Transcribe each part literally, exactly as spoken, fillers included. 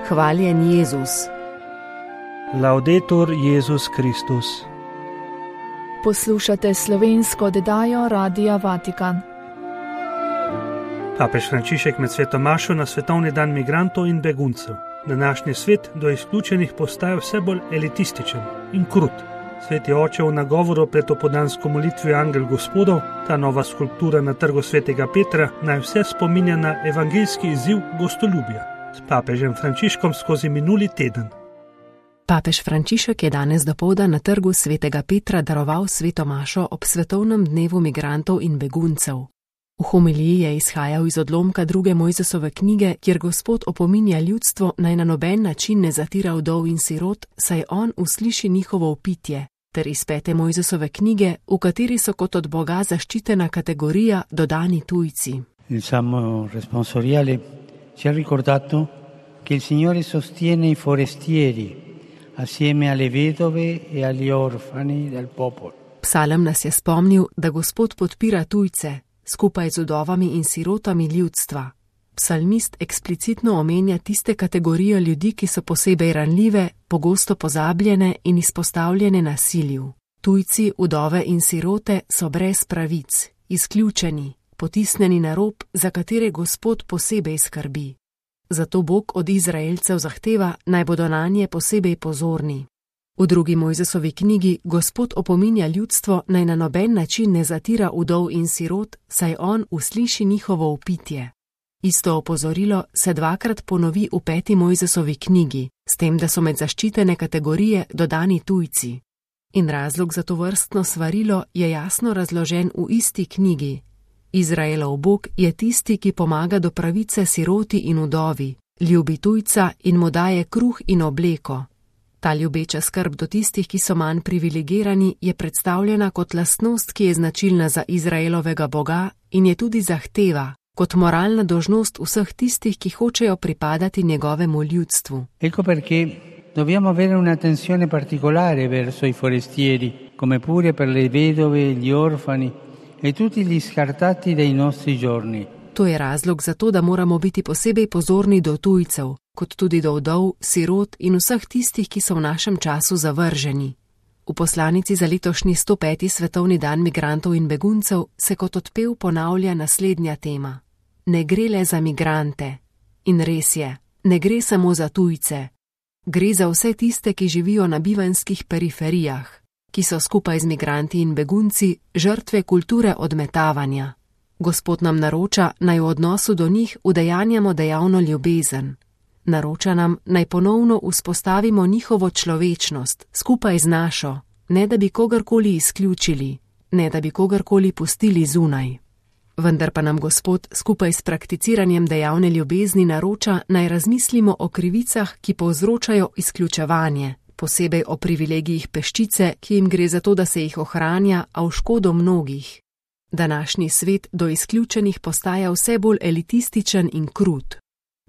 Hvaljen Jezus. Laudetur Jezus Kristus. Poslušate slovensko oddajo Radia Vatikan. Papež Frančišek med sveto mašo na svetovni dan migrantov in beguncev. Današnji svet do izključenih postaja vse bolj elitističen in krut. Sveti oče v nagovoru pred opoldansko molitvijo Angel Gospodov, ta nova skulptura na trgu svetega Petra, naj vse spominja na evangeljski izziv gostoljubja. S papežem Frančiškom skozi minuli teden. Papež Frančišek je danes dopoldan na trgu svetega Petra daroval sveto mašo ob svetovnem dnevu migrantov in beguncev. V homiliji je izhajal iz odlomka druge Mojzesove knjige, kjer Gospod opominja ljudstvo, naj na noben način ne zatira vdov in sirot, saj on usliši njihovo vpitje, ter iz pete Mojzesove knjige, v kateri so kot od Boga zaščitena kategorija dodani tujci. Il Salmo responsoriale ci ha ricordato che il Signore sostiene i forestieri assieme alle vedove e agli orfani del popolo. Psalem nas je spomnil, da Gospod podpira tujce, skupaj z vdovami in sirotami ljudstva. Psalmist eksplicitno omenja tiste kategorije ljudi, ki so posebej ranljive, pogosto pozabljene in izpostavljene nasilju. Tujci, vdove in sirote so brez pravic, izključeni, potisnjeni na rob, za katere Gospod posebej skrbi. Zato Bog od Izraelcev zahteva, naj bodo nanje posebej pozorni. V drugi Mojzesovi knjigi Gospod opominja ljudstvo, naj na noben način ne zatira vdov in sirot, saj on usliši njihovo vpitje. Isto opozorilo se dvakrat ponovi v peti Mojzesovi knjigi, s tem, da so med zaščitene kategorije dodani tujci. In razlog za to vrstno svarilo je jasno razložen v isti knjigi. Izraelov Bog je tisti, ki pomaga do pravice siroti in vdovi, ljubi tujca in mu daje kruh in obleko. Ta ljubeča skrb do tistih, ki so manj privilegirani, je predstavljena kot lastnost, ki je značilna za Izraelovega Boga in je tudi zahteva, kot moralna dolžnost vseh tistih, ki hočejo pripadati njegovemu ljudstvu. Ecco perché dobbiamo avere un'attenzione particolare verso i forestieri, come pure per le vedove, gli orfani e tutti gli scartati dei nostri giorni. To je razlog za to, da moramo biti posebej pozorni do tujcev, kot tudi do vdov, sirot in vseh tistih, ki so v našem času zavrženi. V poslanici za letošnji sto peti svetovni dan migrantov in beguncev se kot odpev ponavlja naslednja tema. Ne gre le za migrante. In res je, ne gre samo za tujce. Gre za vse tiste, ki živijo na bivanjskih periferijah, ki so skupaj z migranti in begunci žrtve kulture odmetavanja. Gospod nam naroča, naj v odnosu do njih udejanjamo dejavno ljubezen. Naroča nam, naj ponovno vzpostavimo njihovo človečnost, skupaj z našo, ne da bi kogarkoli izključili, ne da bi kogarkoli pustili zunaj. Vendar pa nam Gospod skupaj s prakticiranjem dejavne ljubezni naroča, naj razmislimo o krivicah, ki povzročajo izključevanje, posebej o privilegijih peščice, ki jim gre za to, da se jih ohranja, a v škodo mnogih. Današnji svet do izključenih postaja vse bolj elitističen in krut.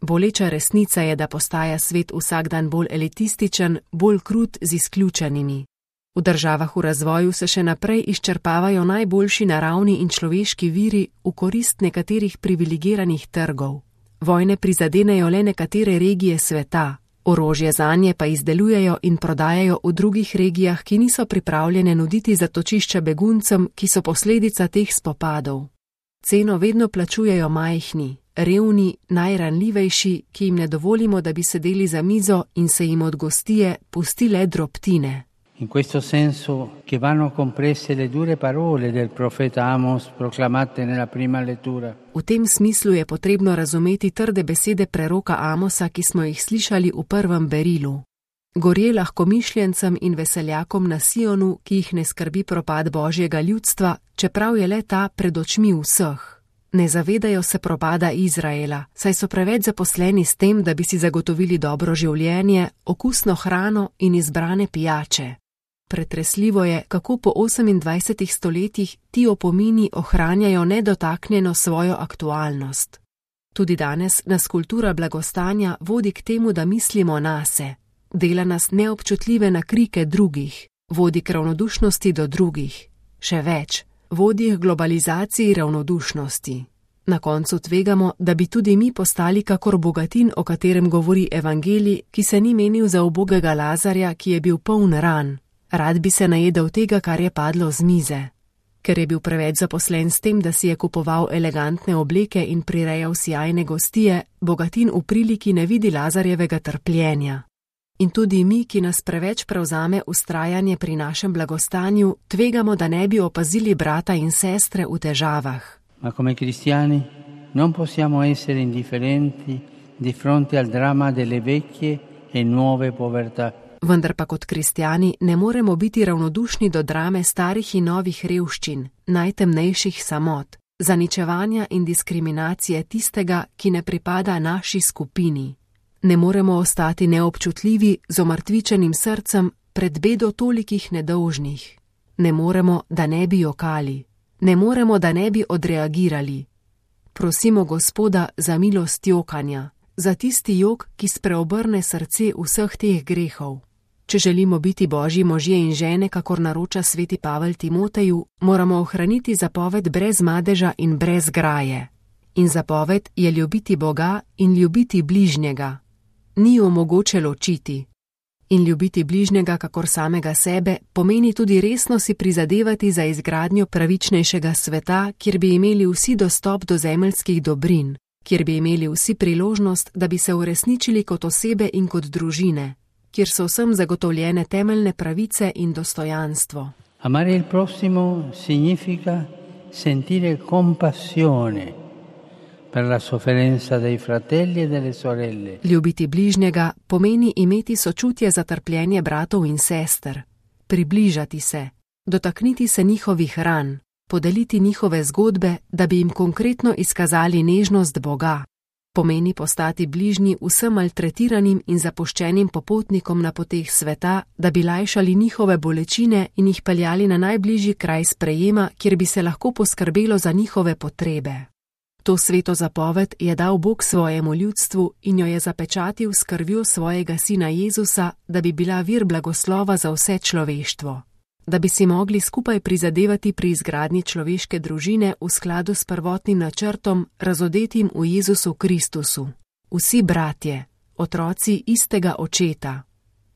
Boleča resnica je, da postaja svet vsak dan bolj elitističen, bolj krut z izključenimi. V državah v razvoju se še naprej izčrpavajo najboljši naravni in človeški viri v korist nekaterih privilegiranih trgov. Vojne prizadenejo le nekatere regije sveta, orožje zanje pa izdelujejo in prodajajo v drugih regijah, ki niso pripravljene nuditi zatočišča beguncem, ki so posledica teh spopadov. Ceno vedno plačujejo majhni, revni, najranljivejši, ki jim ne dovolimo, da bi sedeli za mizo in se jim od gostije pustile drobtine. In questo senso che vanno comprese le dure parole del profeta Amos proclamate nella prima lettura. V tem smislu je potrebno razumeti trde besede preroka Amosa, ki smo jih slišali v prvem berilu. Gorje lahkomišljencem in veseljakom na Sionu, ki jih ne skrbi propad Božjega ljudstva, čeprav je le ta pred očmi vseh. Ne zavedajo se propada Izraela, saj so preveč zaposleni s tem, da bi si zagotovili dobro življenje, okusno hrano in izbrane pijače. Pretresljivo je, kako po osemindvajsetih stoletjih ti opomini ohranjajo nedotaknjeno svojo aktualnost. Tudi danes nas kultura blagostanja vodi k temu, da mislimo nase, dela nas neobčutljive na krike drugih, vodi k ravnodušnosti do drugih, še več, vodi k globalizaciji ravnodušnosti. Na koncu tvegamo, da bi tudi mi postali kakor bogatin, o katerem govori evangelij, ki se ni menil za ubogega Lazarja, ki je bil poln ran. Rad bi se najedel tega, kar je padlo z mize. Ker je bil preveč zaposlen s tem, da si je kupoval elegantne obleke in prirejal sjajne gostije, bogatin v priliki ne vidi Lazarjevega trpljenja. In tudi mi, ki nas preveč prevzame ustrajanje pri našem blagostanju, tvegamo, da ne bi opazili brata in sestre v težavah. Ma come cristiani non possiamo essere indifferenti di fronte al dramma delle vecchie e nuove povertà. Vendar pa kot kristjani ne moremo biti ravnodušni do drame starih in novih revščin, najtemnejših samot, zaničevanja in diskriminacije tistega, ki ne pripada naši skupini. Ne moremo ostati neobčutljivi z omrtvičenim srcem pred bedo tolikih nedolžnih. Ne moremo, da ne bi jokali. Ne moremo, da ne bi odreagirali. Prosimo Gospoda za milost jokanja, za tisti jok, ki spreobrne srce vseh teh grehov. Če želimo biti Božji možje in žene, kakor naroča sveti Pavel Timoteju, moramo ohraniti zapoved brez madeža in brez graje. In zapoved je ljubiti Boga in ljubiti bližnjega. Ni jo mogoče ločiti. In ljubiti bližnjega kakor samega sebe pomeni tudi resno si prizadevati za izgradnjo pravičnejšega sveta, kjer bi imeli vsi dostop do zemeljskih dobrin, kjer bi imeli vsi priložnost, da bi se uresničili kot osebe in kot družine, kjer so vsem zagotovljene temeljne pravice in dostojanstvo. Amare il prossimo significa sentire compassione per la sofferenza dei fratelli e delle sorelle. Ljubiti bližnjega pomeni imeti sočutje za trpljenje bratov in sester, približati se, dotakniti se njihovih ran, podeliti njihove zgodbe, da bi jim konkretno izkazali nežnost Boga. Pomeni postati bližnji vsem maltretiranim in zapuščenim popotnikom na poteh sveta, da bi lajšali njihove bolečine in jih peljali na najbližji kraj sprejema, kjer bi se lahko poskrbelo za njihove potrebe. To sveto zapoved je dal Bog svojemu ljudstvu in jo je zapečatil s krvjo svojega sina Jezusa, da bi bila vir blagoslova za vse človeštvo. Da bi si mogli skupaj prizadevati pri izgradnji človeške družine v skladu s prvotnim načrtom, razodetim v Jezusu Kristusu. Vsi bratje, otroci istega očeta.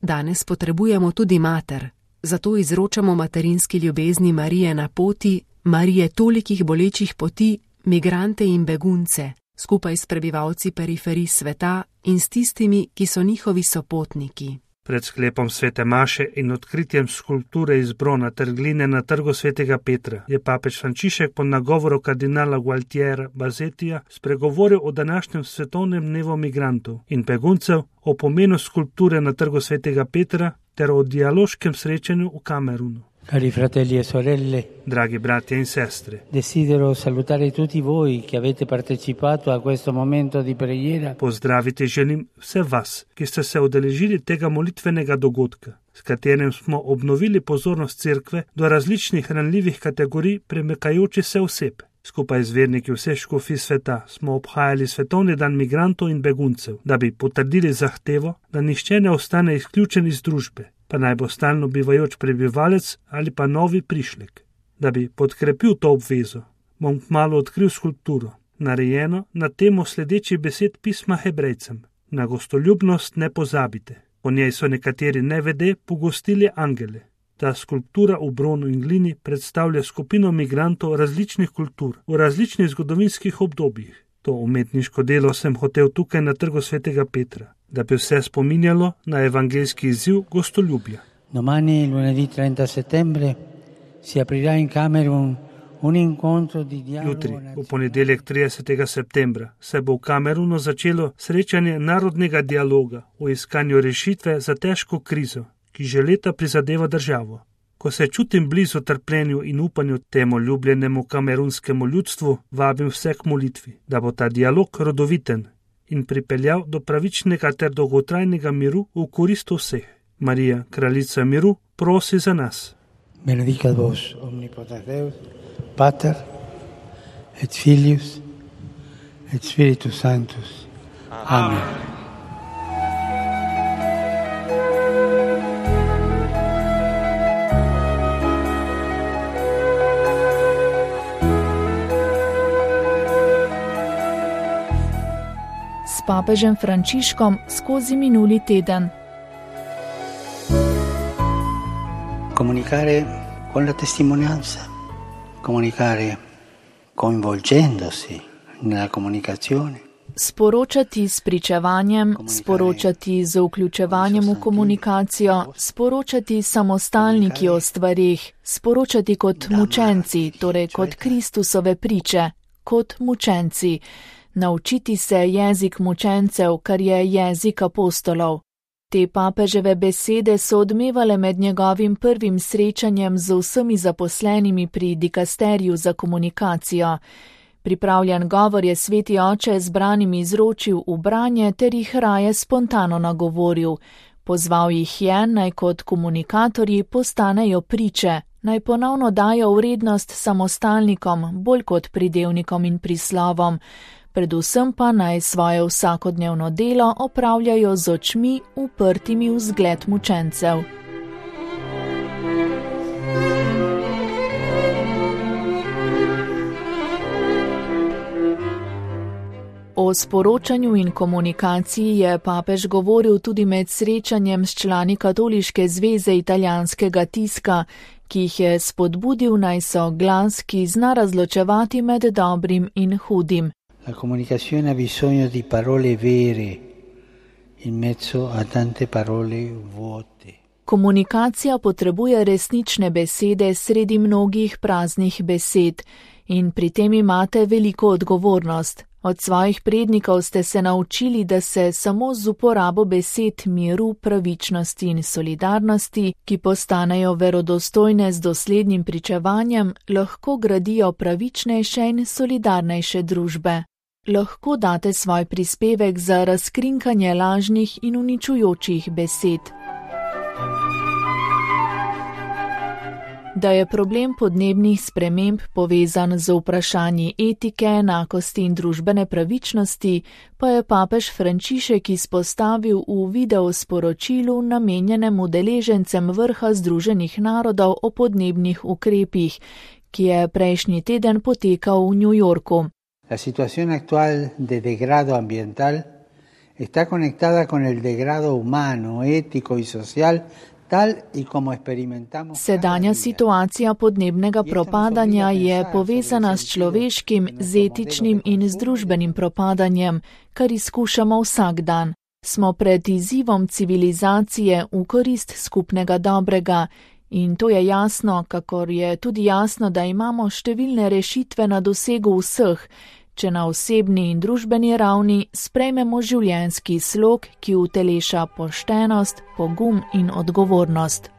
Danes potrebujemo tudi mater, zato izročamo materinski ljubezni Marije na poti, Marije tolikih bolečih poti, migrante in begunce, skupaj s prebivalci periferij sveta in s tistimi, ki so njihovi sopotniki. Pred sklepom svete maše in odkritjem skulpture iz brona ter gline na trgu svetega Petra je papež Frančišek po nagovoru kardinala Gualtiera Bazetija spregovoril o današnjem svetovnem dnevu migrantov in beguncev, o pomenu skulpture na trgu svetega Petra ter o dialoškem srečanju v Kamerunu. Cari fratelli e sorelle, dragi bratje in sestre, desidero salutare tutti voi che avete partecipato a questo momento di preghiera. Pozdraviti želim vse vas, ki ste se udeležili tega molitvenega dogodka, s katerim smo obnovili pozornost cerkve do različnih ranljivih kategorij premikajočih se oseb. Skupaj z verniki vseh škofij sveta smo obhajali svetovni dan migrantov in beguncev, da bi potrdili zahtevo, da nihče ne ostane izključen iz družbe, pa naj bo stalno bivajoč prebivalec ali pa novi prišlek. Da bi podkrepil to obvezo, bom kmalu odkril skulpturo, narejeno na temo sledečih besed pisma Hebrejcem. Na gostoljubnost ne pozabite. Po njej so nekateri nevede pogostili angele. Ta skulptura v bronu in glini predstavlja skupino migrantov različnih kultur v različnih zgodovinskih obdobjih. To umetniško delo sem hotel tukaj na trgu svetega Petra, da bi vse spominjalo na evangeljski izziv gostoljubja. Domani, lunedì trenta settembre, si aprirà in Camerun un incontro di dialogo. Jutri, v ponedeljek tridesetega septembra, se bo v Kamerunu začelo srečanje narodnega dialoga o iskanju rešitve za težko krizo, ki že leta prizadeva državo. Ko se čutim blizu trpljenju in upanju temu ljubljenemu kamerunskemu ljudstvu, vabim vse k molitvi, da bo ta dialog rodoviten in pripeljal do pravičnega ter dolgotrajnega miru v korist vseh. Marija, kraljica miru, prosi za nas. Benedicat vos omnipotens Deus, Pater et Filius et Spiritus Sanctus. Amen. s papežem Frančiškom skozi minuli teden. Comunicare con la testimonianza, comunicare coinvolgendosi nella comunicazione. Sporočati s pričevanjem, sporočati z vključevanjem v komunikacijo, sporočati samostalniki o stvarih, sporočati kot mučenci, torej kot Kristusove priče, kot mučenci, naučiti se jezik mučencev, kar je jezik apostolov. Te papeževe besede so odmevale med njegovim prvim srečanjem z vsemi zaposlenimi pri dikasteriju za komunikacijo. Pripravljen govor je sveti oče zbranim izročil v branje ter jih raje spontano nagovoril. Pozval jih je, naj kot komunikatorji postanejo priče, naj ponovno dajo vrednost samostalnikom, bolj kot pridevnikom in prislovom. Predvsem pa naj svoje vsakodnevno delo opravljajo z očmi uprtimi v zgled mučencev. O sporočanju in komunikaciji je papež govoril tudi med srečanjem s člani Katoliške zveze italijanskega tiska, ki jih je spodbudil naj so glas, ki zna razločevati med dobrim in hudim. La comunicazione ha bisogno di parole vere in mezzo a tante parole vuote. Komunikacija potrebuje resnične besede sredi mnogih praznih besed in pri tem imate veliko odgovornost. Od svojih prednikov ste se naučili, da se samo z uporabo besed miru, pravičnosti in solidarnosti, ki postanejo verodostojne z doslednim pričevanjem, lahko gradijo pravičnejše in solidarnejše družbe. Lahko date svoj prispevek za razkrinkanje lažnih in uničujočih besed. Da je problem podnebnih sprememb povezan z vprašanji etike, enakosti in družbene pravičnosti, pa je papež Frančišek izpostavil v videosporočilu namenjenem udeležencem vrha Združenih narodov o podnebnih ukrepih, ki je prejšnji teden potekal v New Yorku. La situación actual de degrado ambiental está conectada con el degrado humano, ético y social. Sedanja situacija podnebnega propadanja je povezana s človeškim, z etičnim in z družbenim propadanjem, kar izkušamo vsak dan. Smo pred izzivom civilizacije v korist skupnega dobrega in to je jasno, kakor je tudi jasno, da imamo številne rešitve na dosegu vseh, če na osebni in družbeni ravni sprejmemo življenjski slog, ki uteleša poštenost, pogum in odgovornost.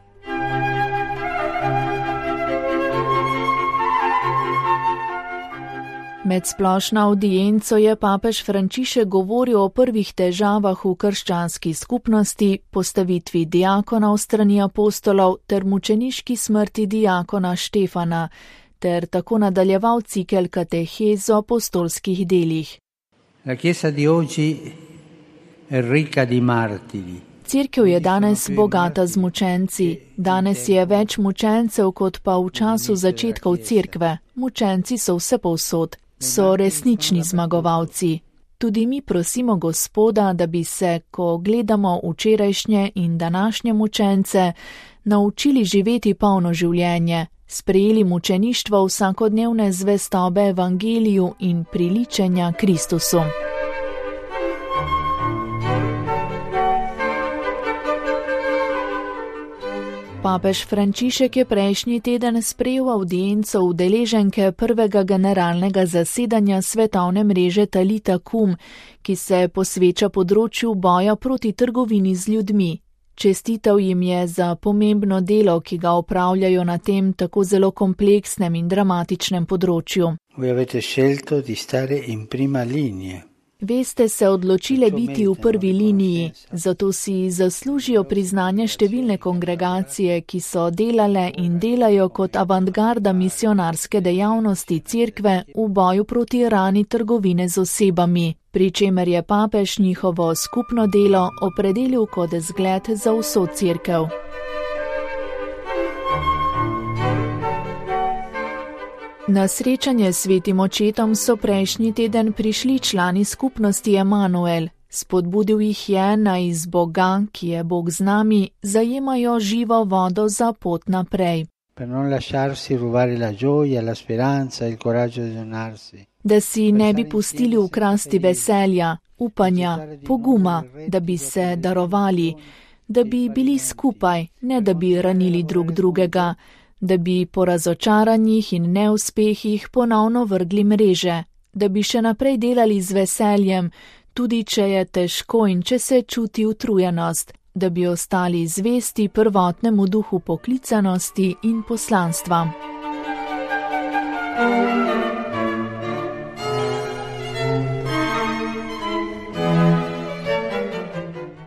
Med splošno avdienco je papež Frančišek govoril o prvih težavah v krščanski skupnosti, postavitvi diakonov strani apostolov ter mučeniški smrti diakona Štefana, ter tako nadaljeval cikel katehez o apostolskih delih. La Chiesa di oggi è ricca di martiri. Cerkev je danes bogata z mučenci. Danes je več mučencev kot pa v času začetkov cerkve. Mučenci so vse povsod, so resnični zmagovalci. Tudi mi prosimo Gospoda, da bi se, ko gledamo včerajšnje in današnje mučence, naučili živeti polno življenje, sprejeli mučeništvo vsakodnevne zvestobe evangeliju in priličenja Kristusu. Papež Frančišek je prejšnji teden sprejel avdienco udeleženke prvega generalnega zasedanja svetovne mreže Talita Kum, ki se posveča področju boja proti trgovini z ljudmi. Čestitev jim je za pomembno delo, ki ga opravljajo na tem tako zelo kompleksnem in dramatičnem področju. Veste se odločile biti v prvi liniji, zato si zaslužijo priznanje številne kongregacije, ki so delale in delajo kot avantgarda misionarske dejavnosti cerkve v boju proti rani trgovine z osebami, pri čemer je papež njihovo skupno delo opredelil kot zgled za vso cerkev. Na srečanje s svetim očetom so prejšnji teden prišli člani skupnosti Emanuel. Spodbudil jih je, naj iz Boga, ki je Bog z nami, zajemajo živo vodo za pot naprej. Da si ne bi pustili ukrasti veselja, upanja, poguma, da bi se darovali, da bi bili skupaj, ne da bi ranili drug drugega, da bi po razočaranjih in neuspehih ponovno vrgli mreže, da bi še naprej delali z veseljem, tudi če je težko in če se čuti utrujenost, da bi ostali zvesti prvotnemu duhu poklicanosti in poslanstva.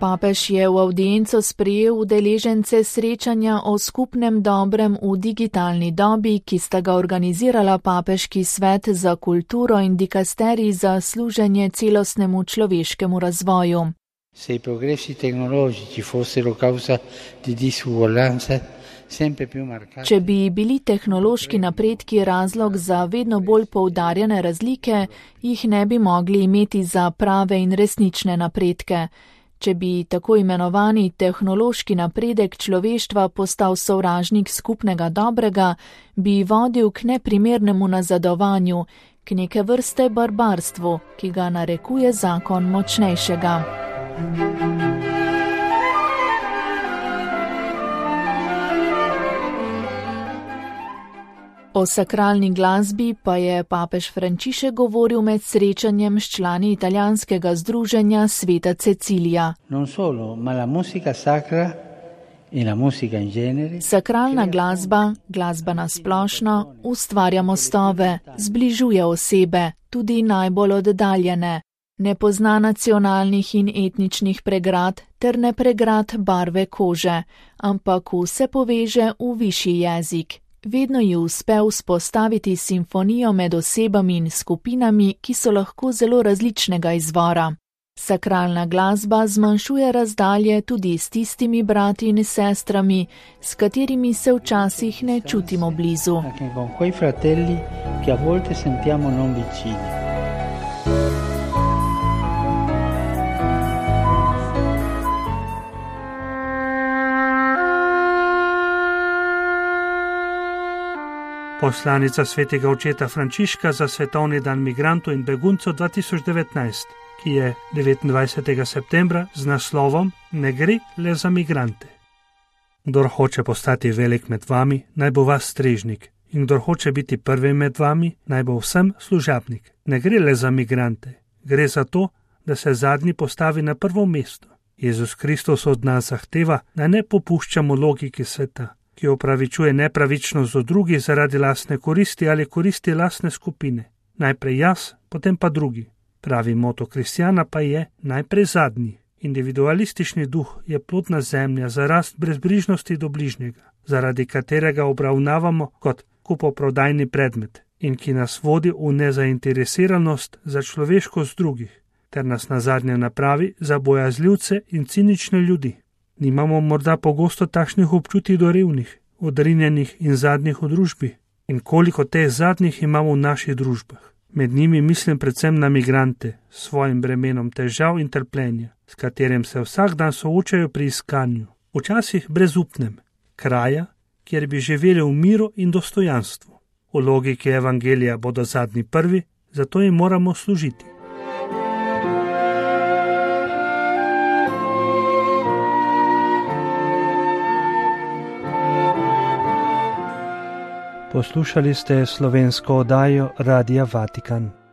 Papež je v avdienco sprejel udeležence srečanja o skupnem dobrem v digitalni dobi, ki sta ga organizirala Papeški svet za kulturo in dikasterij za služenje celostnemu človeškemu razvoju. Se i progressi tecnologici fossero causa di disuguaglianza sempre più marcate. Če bi bili tehnološki napredki razlog za vedno bolj poudarjene razlike, jih ne bi mogli imeti za prave in resnične napredke. Če bi tako imenovani tehnološki napredek človeštva postal sovražnik skupnega dobrega, bi vodil k neprimernemu nazadovanju, k neke vrste barbarstvu, ki ga narekuje zakon močnejšega. O sakralni glasbi pa je papež Frančišek govoril med srečanjem s člani italijanskega združenja Sveta Cecilija. Non solo, ma la musica sacra e la musica in genere. Sakralna glasba, glasba na splošno, ustvarja mostove, zbližuje osebe, tudi najbolj oddaljene. Ne pozna nacionalnih in etničnih pregrad ter ne pregrad barve kože, ampak vse poveže v višji jezik. Vedno ji uspe vzpostaviti simfonijo med osebami in skupinami, ki so lahko zelo različnega izvora. Sakralna glasba zmanjšuje razdalje tudi s tistimi brati in sestrami, s katerimi se včasih ne čutimo blizu. Poslanica svetega očeta Frančiška za svetovni dan migrantov in beguncev dva tisoč devetnajst, ki je devetindvajsetega septembra z naslovom Ne gre le za migrante. Kdor hoče postati velik med vami, naj bo vas strežnik, in kdor hoče biti prvi med vami, naj bo vsem služabnik. Ne gre le za migrante, gre za to, da se zadnji postavi na prvo mesto. Jezus Kristus od nas zahteva, da ne popuščamo logiki sveta, ki opravičuje nepravičnost do drugih zaradi lastne koristi ali koristi lastne skupine. Najprej jaz, potem pa drugi. Pravi moto kristjana pa je najprej zadnji. Individualistični duh je plodna zemlja za rast brezbrižnosti do bližnjega, zaradi katerega obravnavamo kot kupoprodajni predmet in ki nas vodi v nezainteresiranost za človeškost drugih, ter nas nazadnje napravi za bojazljivce in cinične ljudi. Nimamo morda pogosto takšnih občutij do revnih, odrinjenih in zadnjih v družbi? In koliko teh zadnjih imamo v naših družbah? Med njimi mislim predvsem na migrante s svojim bremenom težav in trpljenja, s katerim se vsak dan soočajo pri iskanju, včasih brezupnem, kraja, kjer bi živeli v miru in dostojanstvu. V logiki evangelija bodo zadnji prvi, zato jim moramo služiti. Poslušali ste slovensko oddajo Radia Vatikan.